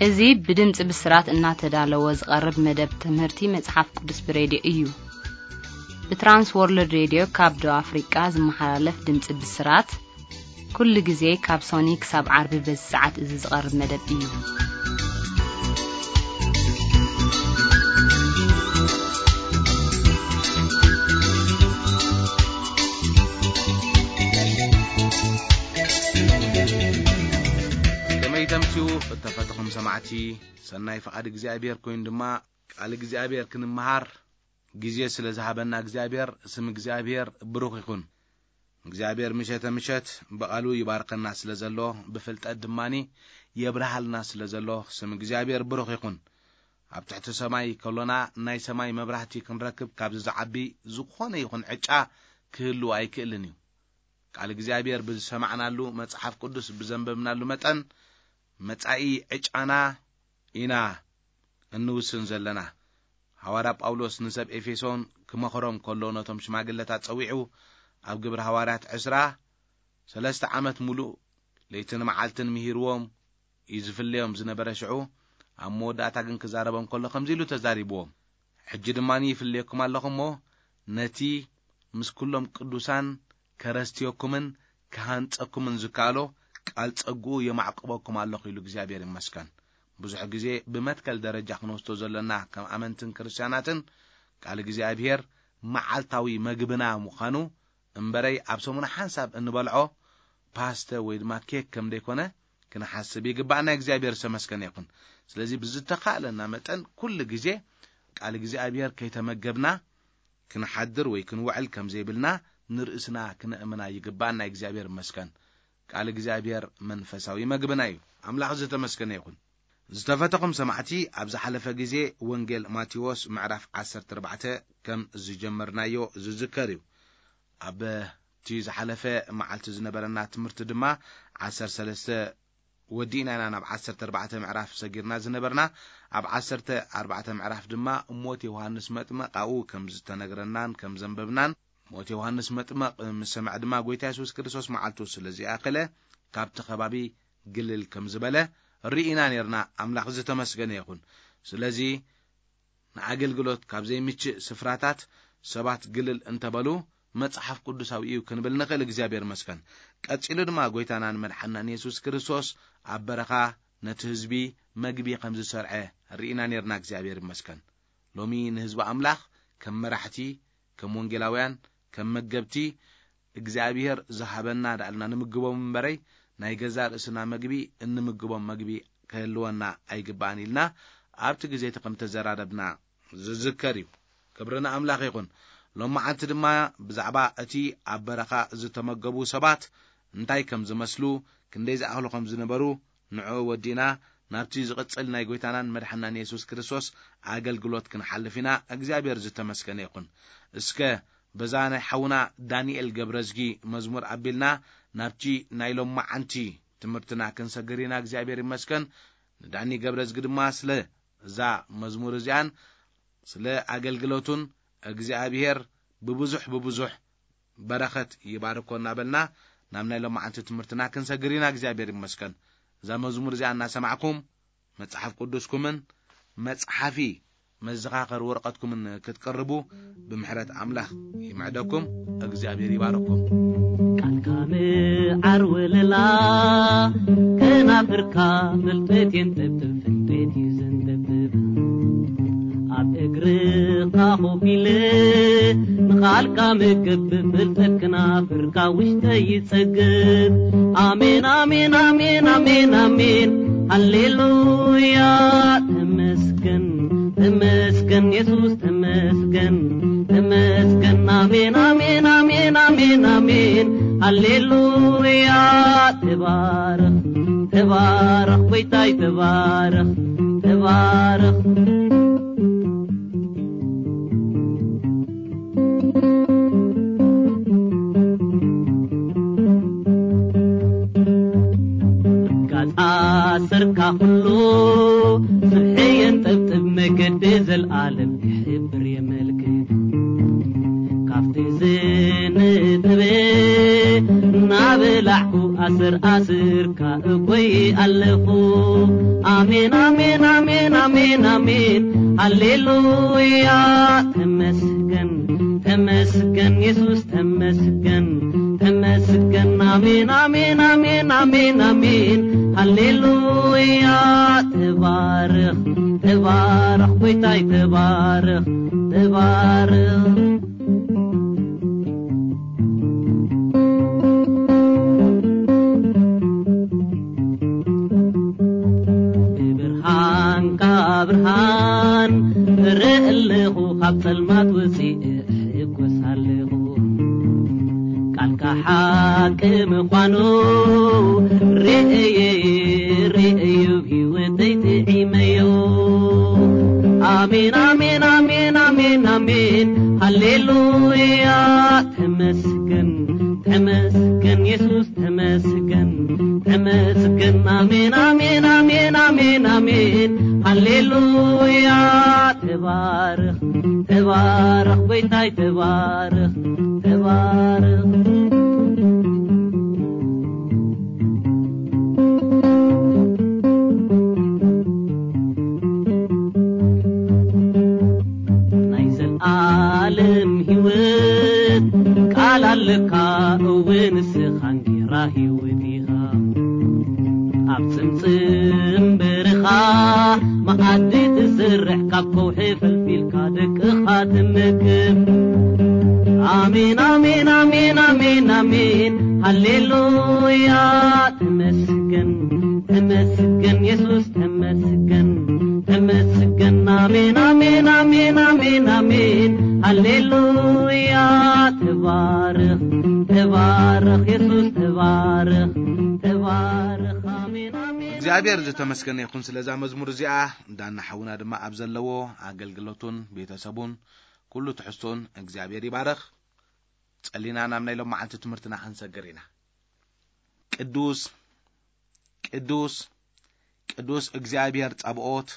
እዚ ብድምፂ ብስራት እናተዳለወ ዝቐርብ መደብ ትምህርቲ መጽሓፍ ቅዱስ ብሬድዮ እዩ። ብትራንስ ወርልድ ሬድዮ ካብ ደቡብ ኣፍሪቃ ዝመሓላለፍ ድምፂ ብስራት፣ ኩሉ ግዜ ካብ ሶኒ ክሳብ ዓርቢ በዚ ሰዓት እዚ ዝቐርብ መደብ እዩ። ከመይ ተምስዩ እተፈተኹም ሰማዕቲ? ሰናይ ፍቓድ እግዚኣብሔር ኮይኑ ድማ ቃል እግዚኣብሔር ክንመሃር ግዜ ስለ ዝሃበና እግዚኣብሔር፣ ስም እግዚኣብሔር ብሩኽ ይኹን። እግዚኣብሔር ምሸተ ምሸት ብቓሉ ይባርከና ስለ ዘሎ፣ ብፍልጠት ድማኒ የብርሃልና ስለ ዘሎ፣ ስም እግዚኣብሔር ብሩኽ ይኹን። ኣብ ትሕቲ ሰማይ ከሎና ናይ ሰማይ መብራህቲ ክንረክብ ካብዚ ዝዓቢ ዝኾነ ይኹን ዕጫ ክህሉ ኣይክእልን እዩ። ቃል እግዚኣብሔር ብዝሰማዕናሉ፣ መጽሓፍ ቅዱስ ብዘንበብናሉ መጠን መጻኢ ዕጫና ኢና እንውስን ዘለና። ሃዋርያ ጳውሎስ ንሰብ ኤፌሶን ክመኽሮም ከሎ ነቶም ሽማግለታት ጸዊዑ ኣብ ግብሪ ሃዋርያት ዕስራ፣ ሰለስተ ዓመት ሙሉእ ለይትን መዓልትን ምሂርዎም እዩ ዝፍለዮም ዝነበረ። ሽዑ ኣብ መወዳእታ ግን ክዛረቦም ከሎ ከምዚ ኢሉ ተዛሪብዎም። ሕጂ ድማ ይፍለየኩም ኣለኹ እሞ ነቲ ምስ ኩሎም ቅዱሳን ከረስትየኩምን ክሃንጸኩምን ዝከኣሎ ቃል ጸግኡ የማዕቅበኩም ኣለኹ ኢሉ እግዚኣብሔር ይመስገን። ብዙሕ ግዜ ብመትከል ደረጃ ክንወስዶ ዘለና ከም ኣመንትን ክርስትያናትን ቃል እግዚኣብሔር መዓልታዊ መግብና ምዃኑ እምበረይ ኣብ ሰሙን ሓንሳብ እንበልዖ ፓስተ ወይ ድማ ኬክ ከም ዘይኮነ ክንሓስብ ይግባእና። እግዚኣብሔር ዝተመስገነ ይኹን። ስለዚ ብዝተኻእለና መጠን ኩሉ ግዜ ቃል እግዚኣብሔር ከይተመገብና ክንሓድር ወይ ክንውዕል ከም ዘይብልና ንርእስና ክነእምና ይግባእና። እግዚኣብሔር ይመስገን። ቃል እግዚኣብሔር መንፈሳዊ መግብና እዩ። ኣምላኽ ዝተመስገነ ይኹን። ዝተፈተኹም ሰማዕቲ፣ ኣብ ዝሓለፈ ግዜ ወንጌል ማቴዎስ ምዕራፍ ዓሰርተ ኣርባዕተ ከም ዝጀመርናዮ ዝዝከር እዩ። ኣብቲ ዝሓለፈ መዓልቲ ዝነበረና ትምህርቲ ድማ ዓሰርተ ሰለስተ ወዲእና ኢና ናብ ዓሰርተ ኣርባዕተ ምዕራፍ ሰጊርና ዝነበርና። ኣብ ዓሰርተ ኣርባዕተ ምዕራፍ ድማ ሞት ዮሃንስ መጥመቕ ኣብኡ ከም ዝተነግረናን ከም ዘንበብናን፣ ሞት ዮሃንስ መጥመቕ ምስ ሰምዐ ድማ ጎይታ የሱስ ክርስቶስ መዓልቱ ስለ ዝኣኸለ ካብቲ ከባቢ ግልል ከም ዝበለ ርኢና ነርና። ኣምላኽ ዝተመስገነ ይኹን። ስለዚ ንኣገልግሎት ካብ ዘይምችእ ስፍራታት ሰባት ግልል እንተበሉ መጽሓፍ ቅዱሳዊ እዩ ክንብል ንኽእል። እግዚኣብሔር ይመስገን። ቀጺሉ ድማ ጎይታናን መድሓናን የሱስ ክርስቶስ ኣብ በረኻ ነቲ ህዝቢ መግቢ ከም ዝሰርዐ ርኢና ነርና። እግዚኣብሔር ይመስገን። ሎሚ ንህዝቢ ኣምላኽ ከም መራሕቲ፣ ከም ወንጌላውያን፣ ከም መገብቲ እግዚኣብሔር ዝሃበና ዳልና ንምግቦም እምበረይ ናይ ገዛ ርእስና መግቢ እንምግቦም መግቢ ክህልወና ኣይግባእን ኢልና ኣብቲ ግዜ እቲ ከም ተዘራረብና ዝዝከር እዩ። ክብሪ ንኣምላኽ ይኹን። ሎማዓንቲ ድማ ብዛዕባ እቲ ኣብ በረኻ ዝተመገቡ ሰባት እንታይ ከም ዝመስሉ፣ ክንደይ ዝኣኽሉ ከም ዝነበሩ፣ ንዕኡ ወዲእና ናብቲ ዝቕጽል ናይ ጎይታናን መድሓናን የሱስ ክርስቶስ ኣገልግሎት ክንሓልፍ ኢና። እግዚኣብሔር ዝተመስገነ ይኹን። እስከ በዛ ናይ ሓውና ዳንኤል ገብረዝጊ መዝሙር ኣቢልና ናብቲ ናይ ሎማዓንቲ ትምህርትና ክንሰግር ኢና። እግዚኣብሔር ይመስገን። ንዳኒ ገብረዝጊ ድማ ስለ እዛ መዝሙር እዚኣን ስለ ኣገልግሎቱን እግዚኣብሔር ብብዙሕ ብብዙሕ በረኸት ይባርኮ እናበልና ናብ ናይ ሎማዓንቲ ትምህርትና ክንሰግር ኢና። እግዚኣብሔር ይመስገን። እዛ መዝሙር እዚኣ እናሰማዕኩም መጽሓፍ ቅዱስኩምን መጽሓፊ መዘኻኸር ወረቐትኩምን ክትቅርቡ ብምሕረት ኣምላኽ ይምዕደኩም። እግዚኣብሔር ይባርኩም። ቃልካ ምዓር ወለላ ከናፍርካ ፍልጠት የንጠብጥብ፣ ፍልጠት እዩ ዘንጠብጥብ። ኣብ እግርኻ ኮፍ ኢለ ንቓልካ ምግብ፣ ፍልጠት ክናፍርካ ውሽጠይ ይጸግብ። ኣሜን፣ ኣሜን፣ ኣሜን፣ ኣሜን፣ ኣሜን። ሃሌሉያ፣ ተመስገን፣ ተመስገን፣ የሱስ ተመስገን፣ ተመስገን። ኣሜን፣ ኣሜን፣ ኣሜን፣ ኣሜን፣ ኣሜን። ሃሌሉያ፣ ተባረኽ፣ ተባረኽ፣ ጎይታይ ተባረኽ፣ ተባረኽ። ጋጻ ሰርካ ኩሉ ስብሒ የንጠብጥብ፣ መገዲ ዘልኣለም ይሕብር የመልክት። ካብቲ ዝንጥበ እናበላዕኩ ኣስር ኣስርካ እኮይ ኣለኹ። ኣሜን፣ ኣሜን፣ ኣሜን፣ ኣሜን፣ ኣሜን። ሃሌሉያ። ተመስገን፣ ተመስገን፣ የሱስ ተመስገን፣ ተመስገን። ኣሜን፣ ኣሜን፣ ኣሜን፣ ኣሜን፣ ኣሜን። ሃሌሉያ። ተባረኽ፣ ተባረኽ፣ ጎይታይ ተባረኽ፣ ተባረኽ። ብብርሃንካ ብርሃን እርኢ ኣለኹ፣ ካብ ጸልማት ወጺኤ እሕጎስ ኣለኹ። ቃልካ ሓቂ ምዃኑ ርእየ፣ ርእየ፣ ህይወተይ ጥዒመዮ። ኣሜን፣ ኣሜን፣ ኣሜን፣ ኣሜን፣ ኣሜን። ሃሌሉያ። ተመስገን፣ ተመስገን፣ የሱስ ተመስገን፣ ተመስገን። ኣሜን፣ ኣሜን፣ ኣሜን፣ ኣሜን፣ ኣሜን። ሃሌሉያ። ተባረኽ፣ ተባረኽ፣ ጎይታይ ተባረኽ፣ ተባረኽ። ናይ ዘልኣለም ህይወት ቃል ኣለካ፣ እወ ንስኻ እንጌራ ህይወት ኢኻ። ኣብ ጽምጽም በረኻ መኣዲ ትሰርሕ፣ ካብ ከውሒ ፈልፊልካ ደቅኻ ትመግብ። ኣሜን፣ ኣሜን፣ ኣሜን፣ ኣሜን፣ ኣሜን። ሃሌሉያ። ተመስገን፣ ተመስገን፣ የሱስ ተመስገን፣ ተመስገን። ኣሜን፣ ኣሜን፣ ኣሜን፣ ኣሜን፣ ኣሜን። ሃሌሉያ። ተባረኽ፣ ተባረኽ፣ የሱስ ተባረኽ፣ ተባረኽ። ኣሜን፣ ኣሜን። እግዚኣብሔር ዝተመስገነ ይኹን ስለዛ መዝሙር እዚኣ። ዳና ሓውና ድማ ኣብ ዘለዎ ኣገልግሎቱን ቤተሰቡን ኩሉ ትሕዝቶን እግዚኣብሔር ይባረኽ። ጸሊና ናብ ናይ ሎም መዓልቲ ትምህርትና ክንሰግር ኢና። ቅዱስ፣ ቅዱስ፣ ቅዱስ እግዚኣብሔር ጸብኦት፣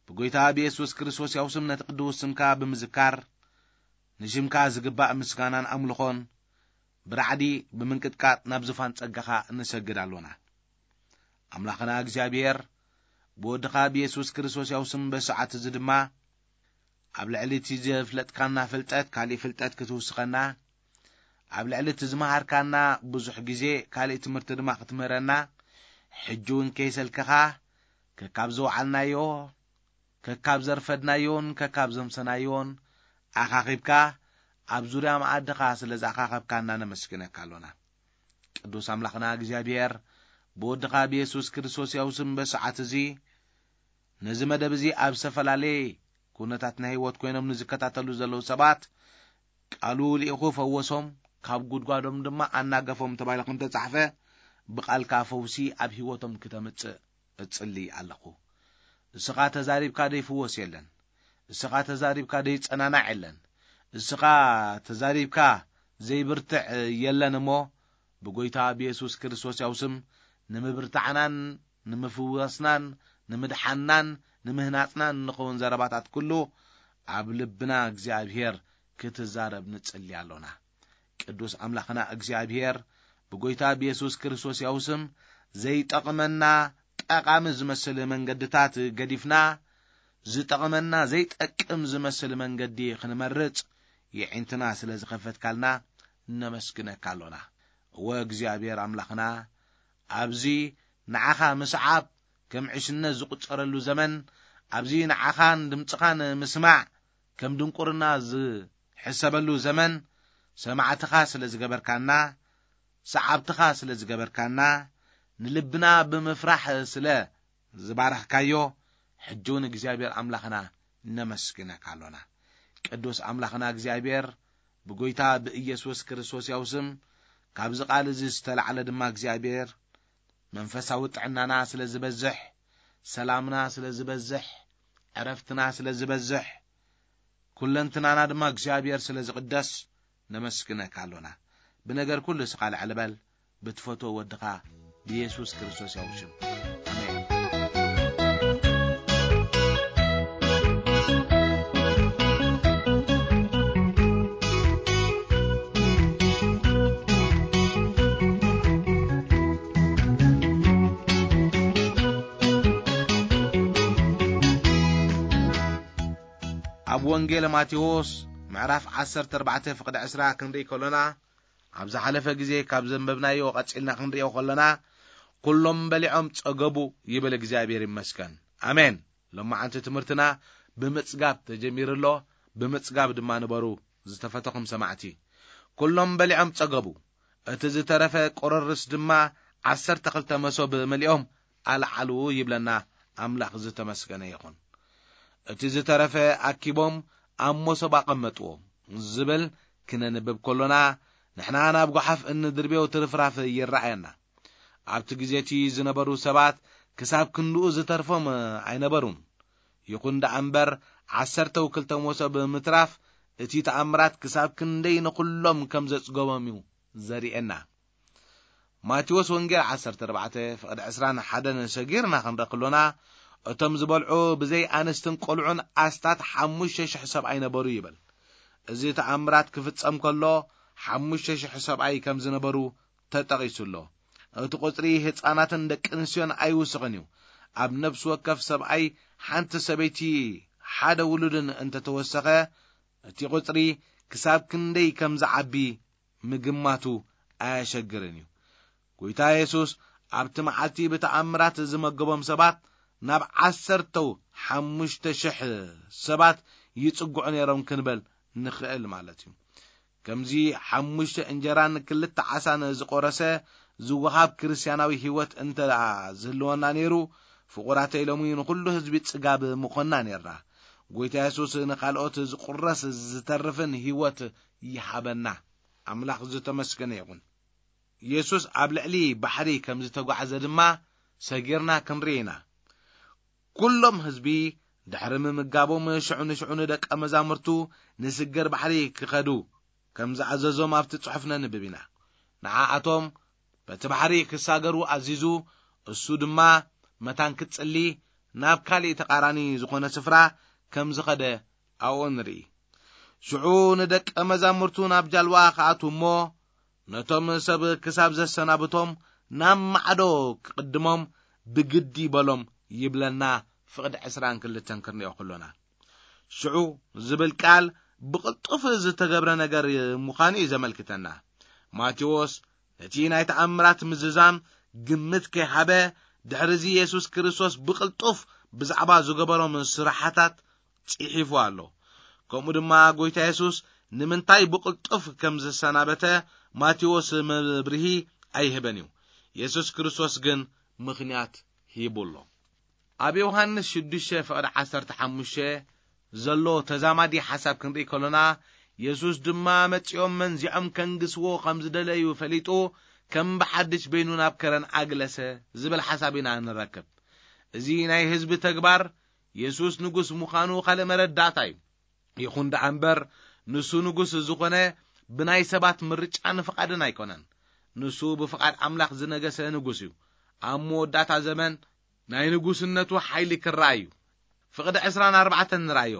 ብጎይታ ብየሱስ ክርስቶስ ያው ስም ነቲ ቅዱስ ስምካ ብምዝካር፣ ንሽምካ ዝግባእ ምስጋናን ኣምልኾን ብራዕዲ ብምንቅጥቃጥ ናብ ዙፋን ጸጋኻ እንሰግድ ኣሎና። ኣምላኽና እግዚኣብሔር፣ ብወድኻ ብየሱስ ክርስቶስ ያው ስም በሰዓት እዚ ድማ፣ ኣብ ልዕሊ እቲ ዘፍለጥካና ፍልጠት ካሊእ ፍልጠት ክትውስኸና፣ ኣብ ልዕሊ እቲ ዝመሃርካና ብዙሕ ግዜ ካሊእ ትምህርቲ ድማ ክትምህረና፣ ሕጂ እውን ከይሰልከኻ፣ ከካብ ዝወዓልናዮ፣ ከካብ ዘርፈድናዮን ከካብ ዘምሰናዮን ኣኻኺብካ፣ ኣብ ዙርያ መኣድኻ ስለ ዝኣኻኸብካና ነመስግነካ ኣሎና። ቅዱስ ኣምላኽና እግዚኣብሔር፣ ብወድኻ ብየሱስ ክርስቶስ ያው ስም በሰዓት እዚ፣ ነዚ መደብ እዚ ኣብ ዝተፈላለየ ኩነታት ናይ ህይወት ኮይኖም ንዝከታተሉ ዘለዉ ሰባት፣ ቃሉ ልኢኹ ፈወሶም፣ ካብ ጉድጓዶም ድማ ኣናገፎም ተባሂሉ ከም ተጻሕፈ፣ ብቓልካ ፈውሲ ኣብ ህይወቶም ክተምጽእ እጽሊ ኣለኹ። እስኻ ተዛሪብካ ደይፍወስ የለን። እስኻ ተዛሪብካ ደይጸናናዕ የለን። እስኻ ተዛሪብካ ዘይብርትዕ የለን እሞ፣ ብጎይታ ብየሱስ ክርስቶስ ያው ስም ንምብርታዕናን ንምፍዋስናን ንምድሓንናን ንምህናጽናን እንኸውን ዘረባታት ኩሉ ኣብ ልብና እግዚኣብሔር ክትዛረብ ንጽሊ ኣሎና። ቅዱስ ኣምላኽና እግዚኣብሔር ብጎይታ ብየሱስ ክርስቶስ ያው ስም ዘይጠቕመና ጠቓሚ ዝመስል መንገድታት ገዲፍና፣ ዝጠቕመና ዘይጠቅም ዝመስል መንገዲ ክንመርጽ የዒንትና ስለ ዝኸፈትካልና ነመስግነካ ኣሎና። እወ እግዚኣብሔር ኣምላኽና፣ ኣብዚ ንዓኻ ምስዓብ ከም ዕሽነት ዝቑጸረሉ ዘመን፣ ኣብዚ ንዓኻን ድምጽኻን ምስማዕ ከም ድንቁርና ዝሕሰበሉ ዘመን፣ ሰማዕትኻ ስለ ዝገበርካና፣ ሰዓብትኻ ስለ ዝገበርካና፣ ንልብና ብምፍራሕ ስለ ዝባረኽካዮ፣ ሕጂ እውን እግዚኣብሔር ኣምላኽና ነመስግነካ ኣሎና። ቅዱስ ኣምላኽና እግዚኣብሔር፣ ብጎይታ ብኢየሱስ ክርስቶስ ያው ስም፣ ካብዚ ቃል እዚ ዝተላዕለ ድማ እግዚኣብሔር፣ መንፈሳዊ ጥዕናና ስለ ዝበዝሕ፣ ሰላምና ስለ ዝበዝሕ፣ ዕረፍትና ስለ ዝበዝሕ፣ ኩለንትናና ድማ እግዚኣብሔር ስለ ዝቕደስ ነመስግነካ ኣሎና። ብነገር ኩሉ እስኻ ልዕል በል፣ ብትፈትዎ ወድኻ ብየሱስ ክርስቶስ ያው ሽም። ኣሜን። ወንጌል ማቴዎስ ምዕራፍ ዓሰርተ ኣርባዕተ ፍቕዲ ዕስራ ክንርኢ ከሎና፣ ኣብ ዝሓለፈ ግዜ ካብ ዘንበብናዮ ቀጺልና ክንርእዮ ከሎና፣ "ኩሎም በሊዖም ጸገቡ" ይብል። እግዚኣብሔር ይመስገን። ኣሜን። ሎማዓንቲ ትምህርትና ብምጽጋብ ተጀሚሩ ኣሎ። ብምጽጋብ ድማ ንበሩ ዝተፈተኹም ሰማዕቲ። ኩሎም በሊዖም ጸገቡ። እቲ ዝተረፈ ቁርርስ ድማ ዓሰርተ ክልተ መሶብ መሊኦም ኣልዓሉ ይብለና። ኣምላኽ ዝተመስገነ ይኹን። እቲ ዝተረፈ ኣኪቦም ኣብ መሶብ ኣቐመጥዎ ዝብል ክነንብብ ከሎና፣ ንሕና ናብ ጓሓፍ እንድርብዮ ትርፍራፍ ይረኣየና። ኣብቲ ግዜ እቲ ዝነበሩ ሰባት ክሳብ ክንድኡ ዝተርፎም ኣይነበሩን። ይኹን ደኣ እምበር፣ ዓሰርተ ክልተ መሶብ ምትራፍ እቲ ተኣምራት ክሳብ ክንደይ ንኹሎም ከም ዘጽገቦም እዩ ዘርእየና። ማቴዎስ ወንጌል ዓሰርተ ኣርባዕተ ፍቕዲ ዕስራን ሓደን ሰጊርና ክንርኢ ከሎና፣ እቶም ዝበልዑ ብዘይ ኣንስትን ቆልዑን ኣስታት ሓሙሽተ ሽሕ ሰብኣይ ነበሩ ይብል። እዚ ተኣምራት ክፍጸም ከሎ፣ ሓሙሽተ ሽሕ ሰብኣይ ከም ዝነበሩ ተጠቒሱ ኣሎ። እቲ ቁጽሪ ህጻናትን ደቂ ኣንስትዮን ኣይውስኽን እዩ። ኣብ ነፍሲ ወከፍ ሰብኣይ ሓንቲ ሰበይቲ፣ ሓደ ውሉድን እንተተወሰኸ፣ እቲ ቁጽሪ ክሳብ ክንደይ ከም ዝዓቢ ምግማቱ ኣየሸግርን እዩ። ጎይታ የሱስ ኣብቲ መዓልቲ ብተኣምራት ዝመገቦም ሰባት ናብ ዓሰርተው ሓሙሽተ ሽሕ ሰባት ይጽግዑ ነይሮም ክንበል ንኽእል ማለት እዩ። ከምዚ ሓሙሽተ እንጀራን ክልተ ዓሳን ዝቖረሰ ዝወሃብ ክርስትያናዊ ህይወት እንተ ደኣ ዝህልወና ነይሩ፣ ፍቑራተይ፣ ሎሚ ንኹሉ ህዝቢ ጽጋብ ምኾንና ነይርና። ጎይታ የሱስ ንኻልኦት ዝቑረስ ዝተርፍን ህይወት ይሃበና። ኣምላኽ ዝተመስገነ ይኹን። የሱስ ኣብ ልዕሊ ባሕሪ ከም ዝተጓዕዘ ድማ ሰጊርና ክንርኢ ኢና። ኩሎም ህዝቢ ድሕሪ ምምጋቦም፣ ሽዑ ንሽዑ ንደቀ መዛሙርቱ ንስገር ባሕሪ ክኸዱ ከም ዝኣዘዞም ኣብቲ ጽሑፍ ነንብብ ኢና። ንዓኣቶም በቲ ባሕሪ ክሳገሩ ኣዚዙ፣ እሱ ድማ መታን ክትጽሊ ናብ ካልእ ተቓራኒ ዝኾነ ስፍራ ከም ዝኸደ ኣብኡ ንርኢ። ሽዑ ንደቀ መዛሙርቱ ናብ ጃልባ ክኣትዉ እሞ፣ ነቶም ሰብ ክሳብ ዘሰናብቶም ናብ ማዕዶ ክቕድሞም ብግዲ በሎም ይብለና፣ ፍቕዲ ዕስራን ክልተን ክንሪኦ ከሎና። ሽዑ ዝብል ቃል ብቕልጡፍ ዝተገብረ ነገር ምዃኑ እዩ ዘመልክተና። ማቴዎስ ነቲ ናይ ተኣምራት ምዝዛም ግምት ከይሃበ፣ ድሕሪዚ የሱስ ክርስቶስ ብቕልጡፍ ብዛዕባ ዝገበሮም ስራሓታት ጽሒፉ ኣሎ። ከምኡ ድማ ጎይታ የሱስ ንምንታይ ብቕልጡፍ ከም ዘሰናበተ ማቴዎስ መብርሂ ኣይህበን እዩ። የሱስ ክርስቶስ ግን ምኽንያት ሂቡ ኣሎ። ኣብ ዮሃንስ ሽዱሽተ ፍቕዲ ዓሰርተ ሓሙሽተ ዘሎ ተዛማዲ ሓሳብ ክንርኢ ከሎና፣ የሱስ ድማ መጺኦም መንዚዖም ከንግስዎ ከም ዝደለዩ ፈሊጡ፣ ከም ብሓድሽ በይኑ ናብ ከረን ኣግለሰ ዝብል ሓሳብ ኢና ንረክብ። እዚ ናይ ህዝቢ ተግባር የሱስ ንጉስ ምዃኑ ካልእ መረዳእታ እዩ። ይኹን ደኣ እምበር፣ ንሱ ንጉስ ዝኾነ ብናይ ሰባት ምርጫን ፍቓድን ኣይኮነን። ንሱ ብፍቓድ ኣምላኽ ዝነገሰ ንጉስ እዩ። ኣብ መወዳእታ ዘመን ናይ ንጉስነቱ ሓይሊ ክረኣይ እዩ። ፍቕዲ ዕስራን ኣርባዕተን ንርኣዮ።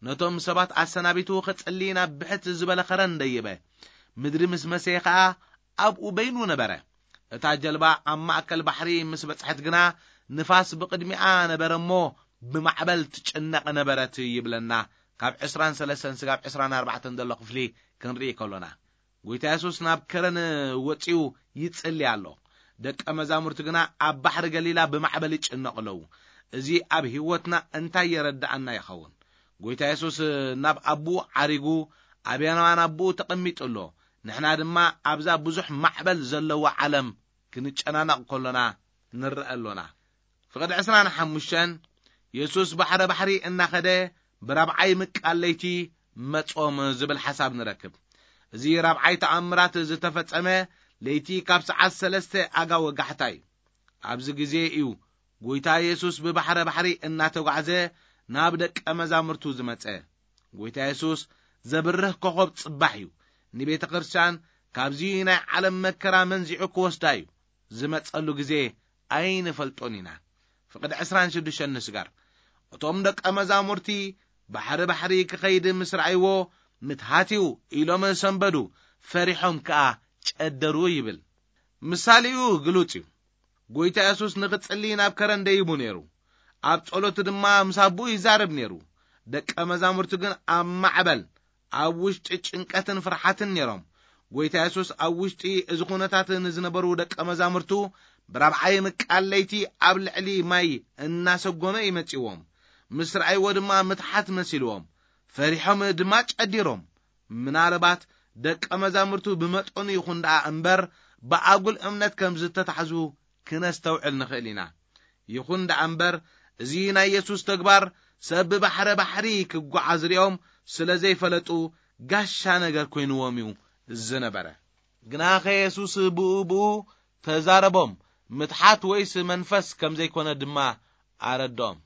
ነቶም ሰባት ኣሰናቢቱ ክጽሊ ናብ ብሕት ዝበለ ኸረን ደየበ። ምድሪ ምስ መሰየ ኸኣ ኣብኡ በይኑ ነበረ። እታ ጀልባ ኣብ ማእከል ባሕሪ ምስ በጽሐት ግና፣ ንፋስ ብቕድሚኣ ነበረ እሞ ብማዕበል ትጭነቕ ነበረት ይብለና። ካብ ዕስራን ሰለስተን ስጋብ ዕስራን ኣርባዕተን ዘሎ ክፍሊ ክንርኢ ከሎና፣ ጎይታ የሱስ ናብ ከረን ወጺኡ ይጽሊ ኣሎ። ደቀ መዛሙርቲ ግና ኣብ ባሕሪ ገሊላ ብማዕበል ይጭነቑ ኣለዉ። እዚ ኣብ ህይወትና እንታይ የረድኣና ይኸውን? ጎይታ የሱስ ናብ ኣቦኡ ዓሪጉ፣ ኣብ የማን ኣቦኡ ተቐሚጡ ኣሎ። ንሕና ድማ ኣብዛ ብዙሕ ማዕበል ዘለዋ ዓለም ክንጨናነቕ ከሎና ንረአ ኣሎና። ፍቕዲ ዕስራን ሓሙሽተን፣ የሱስ ባሕረ ባሕሪ እናኸደ ብራብዓይ ምቃል ለይቲ መጾም ዝብል ሓሳብ ንረክብ። እዚ ራብዓይ ተኣምራት ዝተፈጸመ ለይቲ ካብ ሰዓት ሰለስተ ኣጋ ወጋሕታ እዩ። ኣብዚ ግዜ እዩ ጎይታ የሱስ ብባሕረ ባሕሪ እናተጓዕዘ ናብ ደቀ መዛሙርቱ ዝመጸ። ጎይታ የሱስ ዘብርህ ኮኸብ ጽባሕ እዩ። ንቤተ ክርስቲያን ካብዚ ናይ ዓለም መከራ መንዚዑ ክወስዳ እዩ። ዝመጸሉ ግዜ ኣይንፈልጦን ኢና። ፍቕዲ ዕስራን ሽዱሽተን ንስጋር። እቶም ደቀ መዛሙርቲ ባሕሪ ባሕሪ ክኸይድ ምስ ረኣይዎ፣ "ምትሃት እዩ" ኢሎም ሰንበዱ፣ ፈሪሖም ከኣ ጨደሩ ይብል። ምሳሌኡ ግሉጽ እዩ። ጎይታ የሱስ ንኽጽሊ ናብ ከረን ደይቡ ነይሩ። ኣብ ጸሎቱ ድማ ምስ ኣቦኡ ይዛረብ ነይሩ። ደቀ መዛሙርቱ ግን ኣብ ማዕበል፣ ኣብ ውሽጢ ጭንቀትን ፍርሓትን ነይሮም። ጎይታ የሱስ ኣብ ውሽጢ እዚ ኩነታት ንዝነበሩ ደቀ መዛሙርቱ ብራብዓይ ምቃል ለይቲ ኣብ ልዕሊ ማይ እናሰጎመ ይመጽዎም። ምስ ረኣይዎ ድማ ምትሓት መሲልዎም፣ ፈሪሖም ድማ ጨዲሮም። ምናልባት ደቀ መዛሙርቱ ብመጠኑ ይኹን ደኣ እምበር ብኣጉል እምነት ከም ዝተታሕዙ ክነስተውዕል ንኽእል ኢና። ይኹን ደኣ እምበር፣ እዚ ናይ የሱስ ተግባር ሰብ ብባሕረ ባሕሪ ክጓዓዝ ሪኦም ስለ ዘይፈለጡ፣ ጋሻ ነገር ኮይንዎም እዩ ዝነበረ። ግናኸ የሱስ ብኡ ብኡ ተዛረቦም፣ ምትሓት ወይስ መንፈስ ከም ዘይኮነ ድማ ኣረድኦም።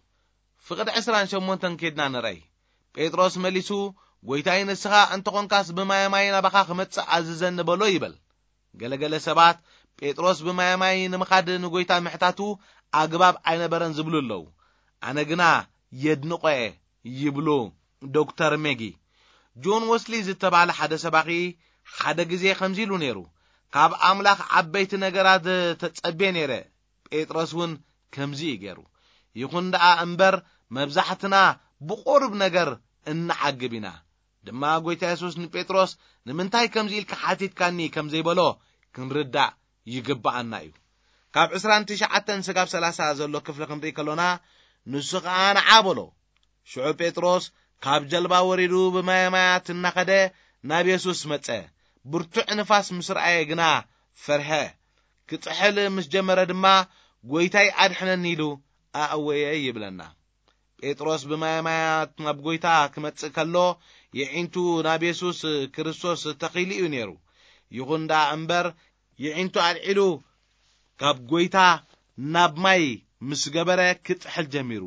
ፍቕዲ ዕስራን ሸሞንተን ኬድና ንረይ። ጴጥሮስ መሊሱ፣ "ጎይታይ፣ ንስኻ እንተኾንካስ ብማየ ማይ ናባኻ ክመጽእ ኣዝዘኒ በሎ" ይበል። ገለገለ ሰባት ጴጥሮስ ብማየ ማይ ንምኻድ ንጎይታ ምሕታቱ ኣግባብ ኣይነበረን ዝብሉ ኣለዉ። ኣነ ግና የድንቖ እየ ይብሉ ዶክተር ሜጊ። ጆን ወስሊ ዝተባህለ ሓደ ሰባኺ ሓደ ግዜ ከምዚ ኢሉ ነይሩ፣ "ካብ ኣምላኽ ዓበይቲ ነገራት ተጸቤ ነይረ፣ ጴጥሮስ እውን ከምዚ እዩ ገይሩ። ይኹን ደኣ እምበር፣ መብዛሕትና ብቑሩብ ነገር እንዓግብ ኢና" ድማ። ጎይታ የሱስ ንጴጥሮስ ንምንታይ ከምዚ ኢልካ ሓቲትካኒ ከም ዘይበሎ ክንርዳእ ይግብኣና እዩ። ካብ ዕስራን ትሽዓተን ስጋብ ሰላሳ ዘሎ ክፍሊ ክንርኢ ከሎና፣ ንሱ ኸኣ ንዓ በሎ። ሽዑ ጴጥሮስ ካብ ጀልባ ወሪዱ ብማየ ማያት እናኸደ ናብ የሱስ መጸ። ብርቱዕ ንፋስ ምስ ረኣየ ግና ፈርሀ። ክጥሕል ምስ ጀመረ ድማ፣ "ጎይታይ ኣድሕነኒ" ኢሉ ኣእወየ ይብለና። ጴጥሮስ ብማየ ማያት ናብ ጎይታ ክመጽእ ከሎ፣ የዒንቱ ናብ የሱስ ክርስቶስ ተኺሉ እዩ ነይሩ። ይኹን ደኣ እምበር፣ የዒንቱ ኣልዒሉ ካብ ጎይታ ናብ ማይ ምስ ገበረ ክጥሕል ጀሚሩ።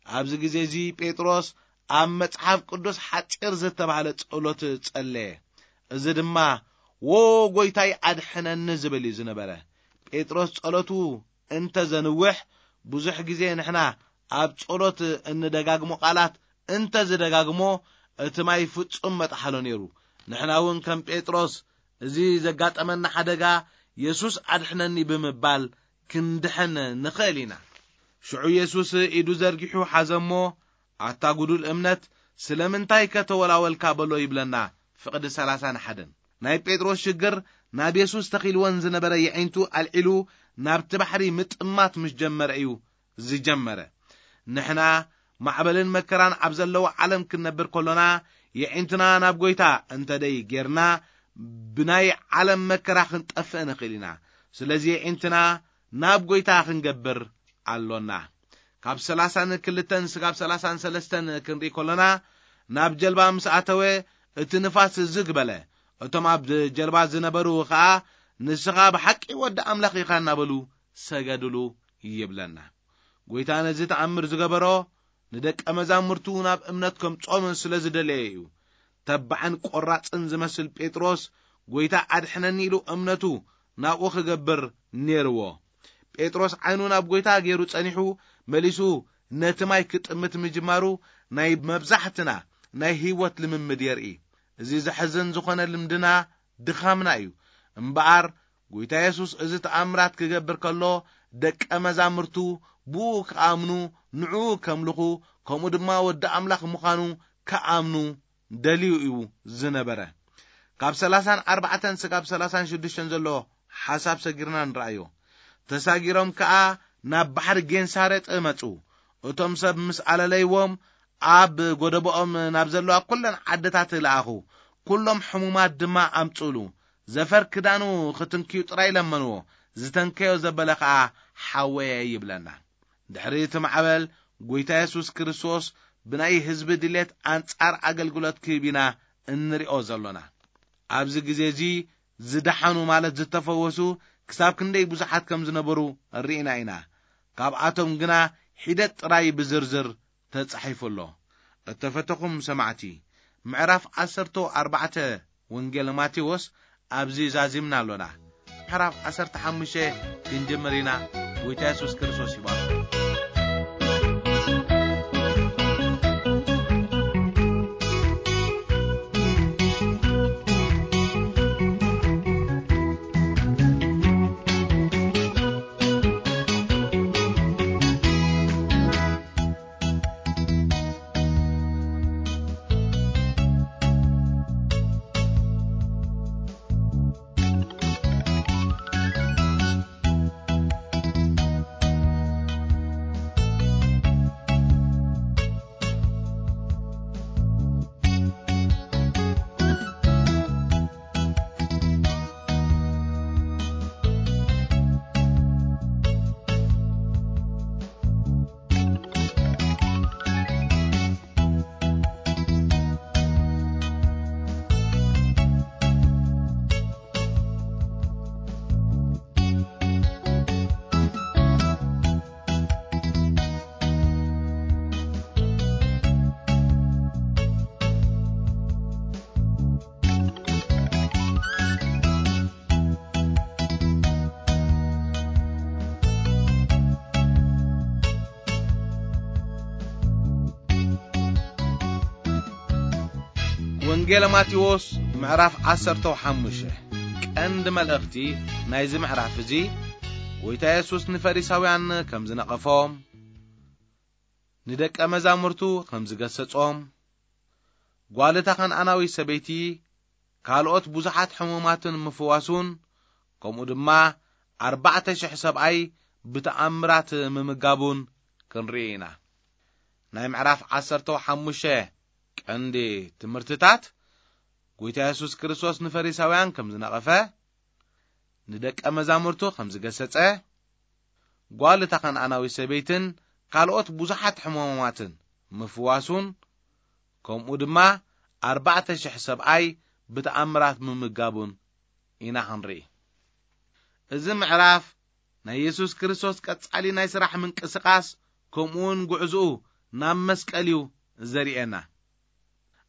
ኣብዚ ግዜ እዚ ጴጥሮስ ኣብ መጽሓፍ ቅዱስ ሓጺር ዝተባህለ ጸሎት ጸለየ። እዚ ድማ "ዎ ጎይታይ ኣድሕነኒ" ዝብል እዩ ዝነበረ። ጴጥሮስ ጸሎቱ እንተ ዘንውሕ፣ ብዙሕ ግዜ ንሕና ኣብ ጸሎት እንደጋግሞ ቃላት እንተ ዝደጋግሞ፣ እቲ ማይ ፍጹም መጥሓሎ ነይሩ። ንሕና እውን ከም ጴጥሮስ፣ እዚ ዘጋጠመና ሓደጋ "የሱስ ኣድሕነኒ" ብምባል ክንድሕን ንኽእል ኢና። ሽዑ የሱስ ኢዱ ዘርጊሑ ሓዘሞ፣ "ኣታ ጉዱል እምነት፣ ስለምንታይ ከተወላወልካ?" በሎ ይብለና ፍቕዲ ሰላሳን ሓደን። ናይ ጴጥሮስ ሽግር ናብ የሱስ ተኺልወን ዝነበረ የዒንቱ ኣልዒሉ ናብቲ ባሕሪ ምጥማት ምስ ጀመረ እዩ ዝጀመረ። ንሕና ማዕበልን መከራን ኣብ ዘለዎ ዓለም ክንነብር ከሎና፣ የዒንትና ናብ ጎይታ እንተ ደይ ጌርና፣ ብናይ ዓለም መከራ ክንጠፍእ ንኽእል ኢና። ስለዚ የዒንትና ናብ ጎይታ ክንገብር ኣሎና። ካብ ሰላሳን ክልተን ስጋብ ሰላሳን ሰለስተን ክንርኢ ከሎና፣ ናብ ጀልባ ምስ ኣተወ፣ እቲ ንፋስ ዝግ በለ። እቶም ኣብ ጀልባ ዝነበሩ ኸኣ፣ "ንስኻ ብሓቂ ወዲ ኣምላኽ ኢኻ" እናበሉ ሰገዱሉ ይብለና። ጎይታ ነዚ ተኣምር ዝገበሮ፣ ንደቀ መዛሙርቱ ናብ እምነት ከምጾም ስለ ዝደለየ እዩ። ተባዕን ቆራጽን ዝመስል ጴጥሮስ፣ "ጎይታ ኣድሕነኒ" ኢሉ እምነቱ ናብኡ ክገብር ነይርዎ። ጴጥሮስ ዓይኑ ናብ ጎይታ ገይሩ ጸኒሑ፣ መሊሱ ነቲ ማይ ክጥምት ምጅማሩ፣ ናይ መብዛሕትና ናይ ህይወት ልምምድ የርኢ። እዚ ዘሕዝን ዝኾነ ልምድና ድኻምና እዩ። እምበኣር፣ ጎይታ የሱስ እዚ ተኣምራት ክገብር ከሎ፣ ደቀ መዛሙርቱ ብኡ ክኣምኑ፣ ንዕኡ ከምልኹ፣ ከምኡ ድማ ወዲ ኣምላኽ ምዃኑ ክኣምኑ ደልዩ እዩ ዝነበረ። ካብ ሰላሳን ኣርባዕተን ስጋብ ሰላሳን ሽዱሽተን ዘሎ ሓሳብ ሰጊርና ንረኣዮ። ተሳጊሮም ከኣ ናብ ባሕሪ ጌንሳሬጥ መጹ። እቶም ሰብ ምስ ኣለለይዎም፣ ኣብ ጎደቦኦም ናብ ዘለዋ ኩለን ዓድታት ለኣኹ። ኩሎም ሕሙማት ድማ ኣምጽኡሉ። ዘፈር ክዳኑ ክትንክዩ ጥራይ ለመንዎ። ዝተንከዮ ዘበለ ከኣ ሓወየ ይብለና። ድሕሪ እቲ ማዕበል፣ ጎይታ የሱስ ክርስቶስ ብናይ ህዝቢ ድሌት ኣንጻር ኣገልግሎት ክህብ ኢና እንሪኦ ዘሎና። ኣብዚ ግዜ እዚ ዝደሓኑ ማለት ዝተፈወሱ ክሳብ ክንደይ ብዙሓት ከም ዝነበሩ ርኢና ኢና። ካብኣቶም ግና ሒደት ጥራይ ብዝርዝር ተጻሒፉ ኣሎ። እተፈተኹም ሰማዕቲ፣ ምዕራፍ ዓሰርተ ኣርባዕተ ወንጌል ማቴዎስ ኣብዚ ዛዚምና ኣሎና። ምዕራፍ ዓሰርተ ሓሙሽተ ክንጅምር ኢና። ጎይታ የሱስ ክርስቶስ ይባርክ። ወንጌል ማቴዎስ ምዕራፍ ዓሰርተ ሓሙሽተ። ቀንዲ መልእኽቲ ናይዚ ምዕራፍ እዚ፣ ጎይታ የሱስ ንፈሪሳውያን ከም ዝነቐፎም፣ ንደቀ መዛሙርቱ ከም ዝገሰጾም፣ ጓል እታ ከነኣናዊት ሰበይቲ ካልኦት ብዙሓት ሕሙማትን ምፍዋሱን፣ ከምኡ ድማ ኣርባዕተ ሽሕ ሰብኣይ ብተኣምራት ምምጋቡን ክንርኢ ኢና። ናይ ምዕራፍ ዓሰርተ ሓሙሽተ ቀንዲ ትምህርትታት፣ ጎይታ የሱስ ክርስቶስ ንፈሪሳውያን ከም ዝነቐፈ፣ ንደቀ መዛሙርቱ ከም ዝገሰጸ፣ ጓል እታ ከነኣናዊት ሰበይትን ካልኦት ብዙሓት ሕሙማትን ምፍዋሱን፣ ከምኡ ድማ ኣርባዕተ ሽሕ ሰብኣይ ብተኣምራት ምምጋቡን ኢና ክንርኢ። እዚ ምዕራፍ ናይ የሱስ ክርስቶስ ቀጻሊ ናይ ስራሕ ምንቅስቓስ፣ ከምኡውን ጉዕዞኡ ናብ መስቀል እዩ ዘርእየና።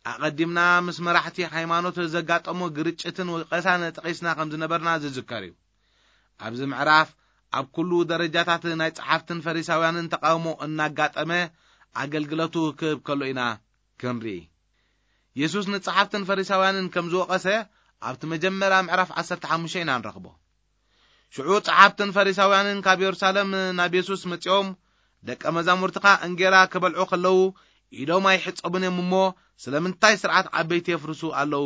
ኣቐዲምና ምስ መራሕቲ ሃይማኖት ዘጋጠሞ ግርጭትን ወቐሳን ጠቒስና ከም ዝነበርና ዝዝከር እዩ። ኣብዚ ምዕራፍ ኣብ ኩሉ ደረጃታት ናይ ጸሓፍትን ፈሪሳውያንን ተቃውሞ እናጋጠመ ኣገልግሎቱ ክህብ ከሎ ኢና ክንርኢ። የሱስ ንጸሓፍትን ፈሪሳውያንን ከም ዝወቐሰ ኣብቲ መጀመርያ ምዕራፍ ዓሰርተ ሓሙሽተ ኢና ንረኽቦ። ሽዑ ጸሓፍትን ፈሪሳውያንን ካብ የሩሳሌም ናብ የሱስ መጺኦም፣ "ደቀ መዛሙርትኻ እንጌራ ክበልዑ ከለዉ ኢዶም ኣይሕጸቡን እዮም እሞ፣ ስለምንታይ ስርዓት ዓበይቲ የፍርሱ ኣለዉ?"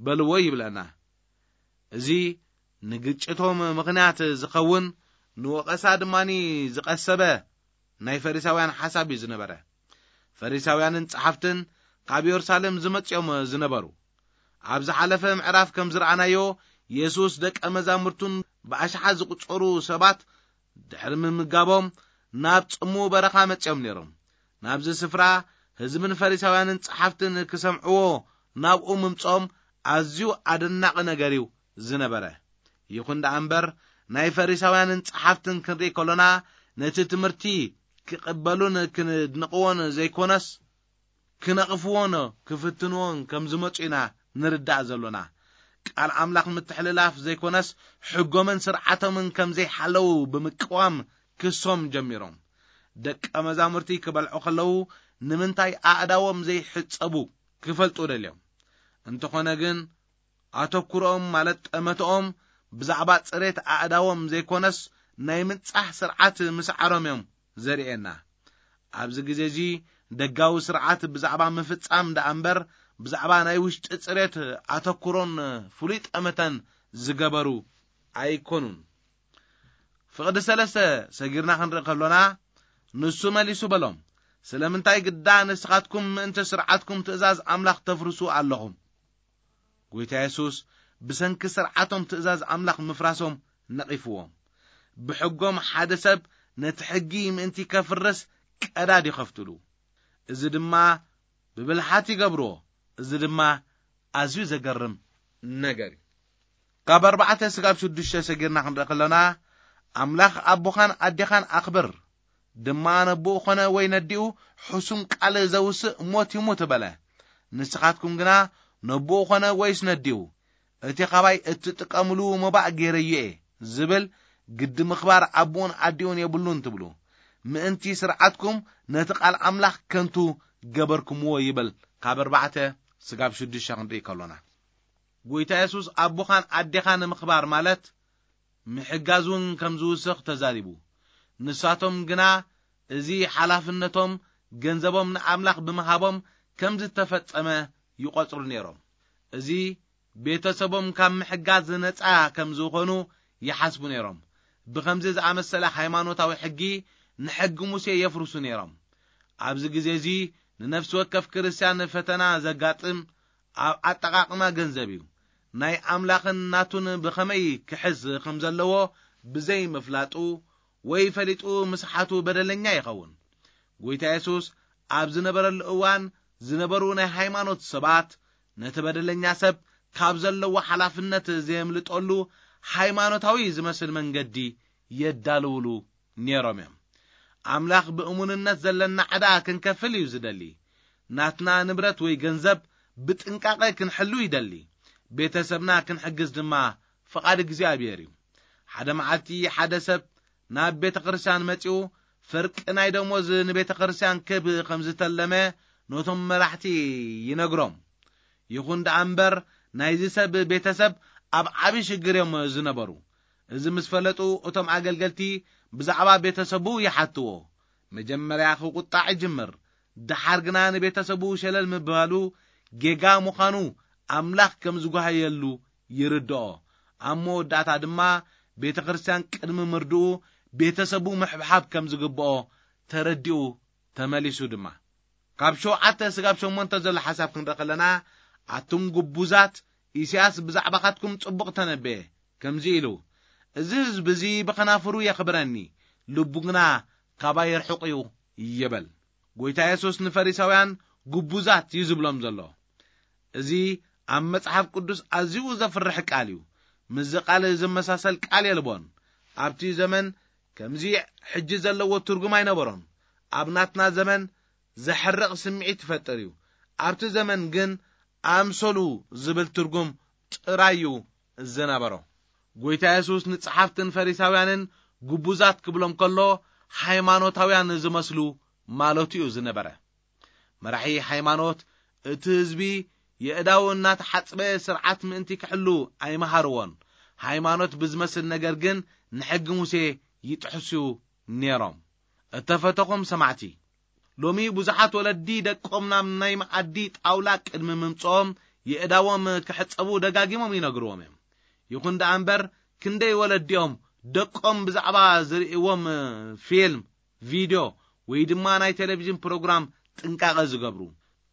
በልዎ ይብለና። እዚ ንግጭቶም ምኽንያት ዝኸውን፣ ንወቐሳ ድማኒ ዝቐሰበ ናይ ፈሪሳውያን ሓሳብ እዩ ዝነበረ። ፈሪሳውያንን ጸሓፍትን ካብ የሩሳሌም ዝመጽኦም ዝነበሩ። ኣብ ዝሓለፈ ምዕራፍ ከም ዝረኣናዮ፣ የሱስ ደቀ መዛሙርቱን ብኣሽሓት ዝቑጸሩ ሰባት ድሕሪ ምምጋቦም፣ ናብ ጽሙ በረኻ መጽኦም ነይሮም። ናብዚ ስፍራ ህዝብን ፈሪሳውያንን ጸሓፍትን ክሰምዕዎ ናብኡ ምምጽኦም ኣዝዩ ኣደናቒ ነገር እዩ ዝነበረ። ይኹን ደኣ እምበር፣ ናይ ፈሪሳውያንን ጸሓፍትን ክንርኢ ከሎና፣ ነቲ ትምህርቲ ክቕበሉን ክድንቕዎን ዘይኮነስ፣ ክነቕፍዎን ክፍትንዎን ከም ዝመጹ ኢና ንርዳእ ዘሎና። ቃል ኣምላኽ ምትሕልላፍ ዘይኮነስ፣ ሕጎምን ስርዓቶምን ከም ዘይሓለዉ ብምቅዋም ክሶም ጀሚሮም። ደቀ መዛሙርቲ ክበልዑ ከለዉ፣ ንምንታይ ኣእዳዎም ዘይሕጸቡ ክፈልጡ ደልዮም። እንተኾነ ግን፣ ኣተኩሮኦም፣ ማለት ጠመተኦም፣ ብዛዕባ ጽሬት ኣእዳዎም ዘይኮነስ፣ ናይ ምንጻሕ ስርዓት ምስዓሮም እዮም ዘርእየና። ኣብዚ ግዜ እዚ፣ ደጋዊ ስርዓት ብዛዕባ ምፍጻም ደኣ እምበር፣ ብዛዕባ ናይ ውሽጢ ጽሬት ኣተኩሮን ፍሉይ ጠመተን ዝገበሩ ኣይኮኑን። ፍቕዲ ሰለስተ ሰጊርና ክንርኢ ከሎና፣ ንሱ መሊሱ በሎም፣ "ስለምንታይ ግዳ ንስኻትኩም ምእንቲ ስርዓትኩም ትእዛዝ ኣምላኽ ተፍርሱ ኣለኹም?" ጎይታ የሱስ ብሰንኪ ስርዓቶም ትእዛዝ ኣምላኽ ምፍራሶም ነቒፍዎም። ብሕጎም ሓደ ሰብ ነቲ ሕጊ ምእንቲ ከፍርስ ቀዳድ ይኸፍትሉ። እዚ ድማ ብብልሓት ይገብርዎ። እዚ ድማ ኣዝዩ ዘገርም ነገር እዩ። ካብ ኣርባዕተ ስጋብ ሽዱሽተ ሰጊርና ክንርኢ ከለና፣ "ኣምላኽ ኣቦኻን ኣዴኻን ኣኽብር፣ ድማ ነቦኡ ኾነ ወይ ነዲኡ ሕሱም ቃል ዘውስእ ሞት ይሙት" በለ። ንስኻትኩም ግና ነቦኡ ኾነ ወይስ ነዲኡ፣ "እቲ ኻባይ እትጥቀምሉ መባእ ገይረዮ እየ" ዝብል፣ ግዲ ምኽባር ኣቦኡን ኣዲኡን የብሉን ትብሉ። ምእንቲ ስርዓትኩም ነቲ ቃል ኣምላኽ ከንቱ ገበርኩምዎ ይብል። ካብ ኣርባዕተ ስጋብ ሽዱሽተ ክንርኢ ከሎና፣ ጎይታ የሱስ ኣቦኻን ኣዴኻን ምኽባር ማለት ምሕጋዝ እውን ከም ዝውስኽ ተዛሪቡ። ንሳቶም ግና እዚ ሓላፍነቶም፣ ገንዘቦም ንኣምላኽ ብምሃቦም ከም ዝተፈጸመ ይቖጽሩ ነይሮም። እዚ ቤተሰቦም ካብ ምሕጋዝ ነጻ ከም ዝኾኑ ይሓስቡ ነይሮም። ብኸምዚ ዝኣመሰለ ሃይማኖታዊ ሕጊ፣ ንሕጊ ሙሴ የፍርሱ ነይሮም። ኣብዚ ግዜ እዚ ንነፍሲ ወከፍ ክርስትያን ፈተና ዘጋጥም ኣብ ኣጠቓቕማ ገንዘብ እዩ። ናይ ኣምላኽን ናቱን ብኸመይ ክሕዝ ከም ዘለዎ ብዘይ ምፍላጡ ወይ ፈሊጡ ምስሓቱ በደለኛ ይኸውን። ጎይታ የሱስ ኣብ ዝነበረሉ እዋን ዝነበሩ ናይ ሃይማኖት ሰባት ነቲ በደለኛ ሰብ ካብ ዘለዎ ሓላፍነት ዘየምልጠሉ ሃይማኖታዊ ዝመስል መንገዲ የዳልውሉ ነይሮም እዮም። ኣምላኽ ብእሙንነት ዘለና ዕዳ ክንከፍል እዩ ዝደሊ። ናትና ንብረት ወይ ገንዘብ ብጥንቃቐ ክንሕሉ ይደሊ። ቤተሰብና ክንሕግዝ ድማ ፍቓድ እግዚኣብሔር እዩ። ሓደ መዓልቲ ሓደ ሰብ ናብ ቤተ ክርስቲያን መጺኡ፣ ፍርቂ ናይ ደሞዝ ንቤተ ክርስቲያን ክህብ ከም ዝተለመ ነቶም መራሕቲ ይነግሮም። ይኹን ደኣ እምበር፣ ናይዚ ሰብ ቤተሰብ ኣብ ዓቢ ሽግር እዮም ዝነበሩ። እዚ ምስ ፈለጡ፣ እቶም ኣገልገልቲ ብዛዕባ ቤተሰቡ ይሓትዎ። መጀመርያ ክቁጣዕ ይጅምር። ደሓር ግና ንቤተሰቡ ሸለል ምባሉ ጌጋ ምዃኑ ኣምላኽ ከም ዝጓሃየሉ ይርድኦ። ኣብ መወዳእታ ድማ፣ ቤተ ክርስቲያን ቅድሚ ምርድኡ ቤተሰቡ ምሕብሓብ ከም ዝግብኦ ተረዲኡ ተመሊሱ ድማ። ካብ ሸውዓተ ስጋብ ሸሞንተ ዘሎ ሓሳብ ክንርኢ ከለና፣ ኣቱም ግቡዛት፣ ኢሳያስ ብዛዕባኻትኩም ጽቡቕ ተነበየ። ከምዚ ኢሉ፣ "እዚ ህዝቢ እዚ ብኸናፍሩ የኽብረኒ፣ ልቡ ግና ካባይ ርሑቕ እዩ" ይበል። ጎይታ የሱስ ንፈሪሳውያን ግቡዛት እዩ ዝብሎም ዘሎ። እዚ ኣብ መጽሓፍ ቅዱስ ኣዝዩ ዘፍርሕ ቃል እዩ። ምስዚ ቃል ዝመሳሰል ቃል የልቦን። ኣብቲ ዘመን ከምዚ ሕጂ ዘለዎ ትርጉም ኣይነበሮን። ኣብ ናትና ዘመን ዘሕርቕ ስምዒት ይፈጥር እዩ። ኣብቲ ዘመን ግን ኣምሰሉ ዝብል ትርጉም ጥራይ እዩ ዝነበሮ። ጎይታ የሱስ ንጸሓፍትን ፈሪሳውያንን ግቡዛት ክብሎም ከሎ፣ ሃይማኖታውያን ዝመስሉ ማለቱ እዩ ዝነበረ። መራሒ ሃይማኖት እቲ ህዝቢ የእዳው እናተሓጽበ ስርዓት ምእንቲ ክሕሉ ኣይመሃርዎን። ሃይማኖት ብዝመስል ነገር ግን ንሕጊ ሙሴ ይጥሕሱ ነይሮም። እተፈተኹም ሰማዕቲ፣ ሎሚ ብዙሓት ወለዲ ደቆም ናብ ናይ መኣዲ ጣውላ ቅድሚ ምምጽኦም የእዳዎም ክሕጸቡ ደጋጊሞም ይነግርዎም እዮም። ይኹን ደኣ እምበር፣ ክንደይ ወለዲኦም ደቆም ብዛዕባ ዝርእይዎም ፊልም፣ ቪድዮ ወይ ድማ ናይ ቴሌቪዥን ፕሮግራም ጥንቃቐ ዝገብሩ።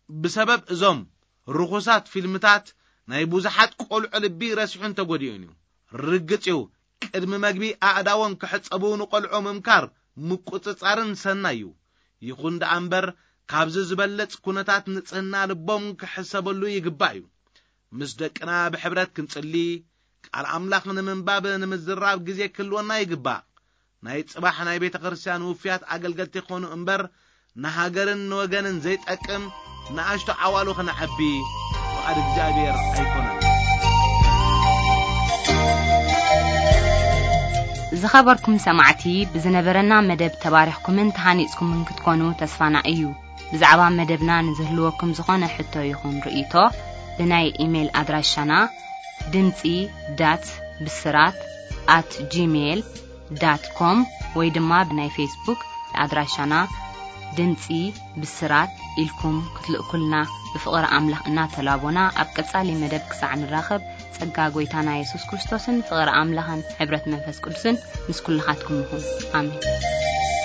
ብሰበብ እዞም ርኹሳት ፊልምታት ናይ ብዙሓት ቆልዑ ልቢ ረሲሑን ተጎዲኡን እዩ። ርግጽ እዩ፣ ቅድሚ መግቢ ኣእዳዎም ክሕጸቡ ንቆልዑ ምምካር ምቁጽጻርን ሰናይ እዩ። ይኹን ደኣ እምበር፣ ካብዚ ዝበለጽ ኩነታት ንጽህና ልቦም ክሕሰበሉ ይግባእ እዩ። ምስ ደቅና ብሕብረት ክንጽሊ፣ ቃል ኣምላኽ ንምንባብ ንምዝራብ ግዜ ክህልወና ይግባእ። ናይ ጽባሕ ናይ ቤተ ክርስቲያን ውፍያት ኣገልገልቲ ክኾኑ እምበር፣ ንሃገርን ንወገንን ዘይጠቅም ንኣሽቱ ዓዋሉ ክነዐቢ ፍቓድ እግዚኣብሔር ኣይኮነን። ዝኸበርኩም ሰማዕቲ፣ ብዝነበረና መደብ ተባሪኽኩምን ተሃኒጽኩምን ክትኮኑ ተስፋና እዩ። ብዛዕባ መደብና ንዝህልወኩም ዝኾነ ሕቶ ይኹን ርእይቶ፣ ብናይ ኢሜይል ኣድራሻና ድምጺ ዳት ብስራት ኣት ጂሜይል ዳት ኮም ወይ ድማ ብናይ ፌስቡክ ኣድራሻና ድምጺ ብስራት ኢልኩም ክትልእኩልና ብፍቕሪ ኣምላኽ እናተላቦና፣ ኣብ ቀጻሊ መደብ ክሳዕ ንራኸብ፣ ጸጋ ጐይታና የሱስ ክርስቶስን ፍቕሪ ኣምላኽን ሕብረት መንፈስ ቅዱስን ምስ ኩልኻትኩም ይኹን። ኣሜን።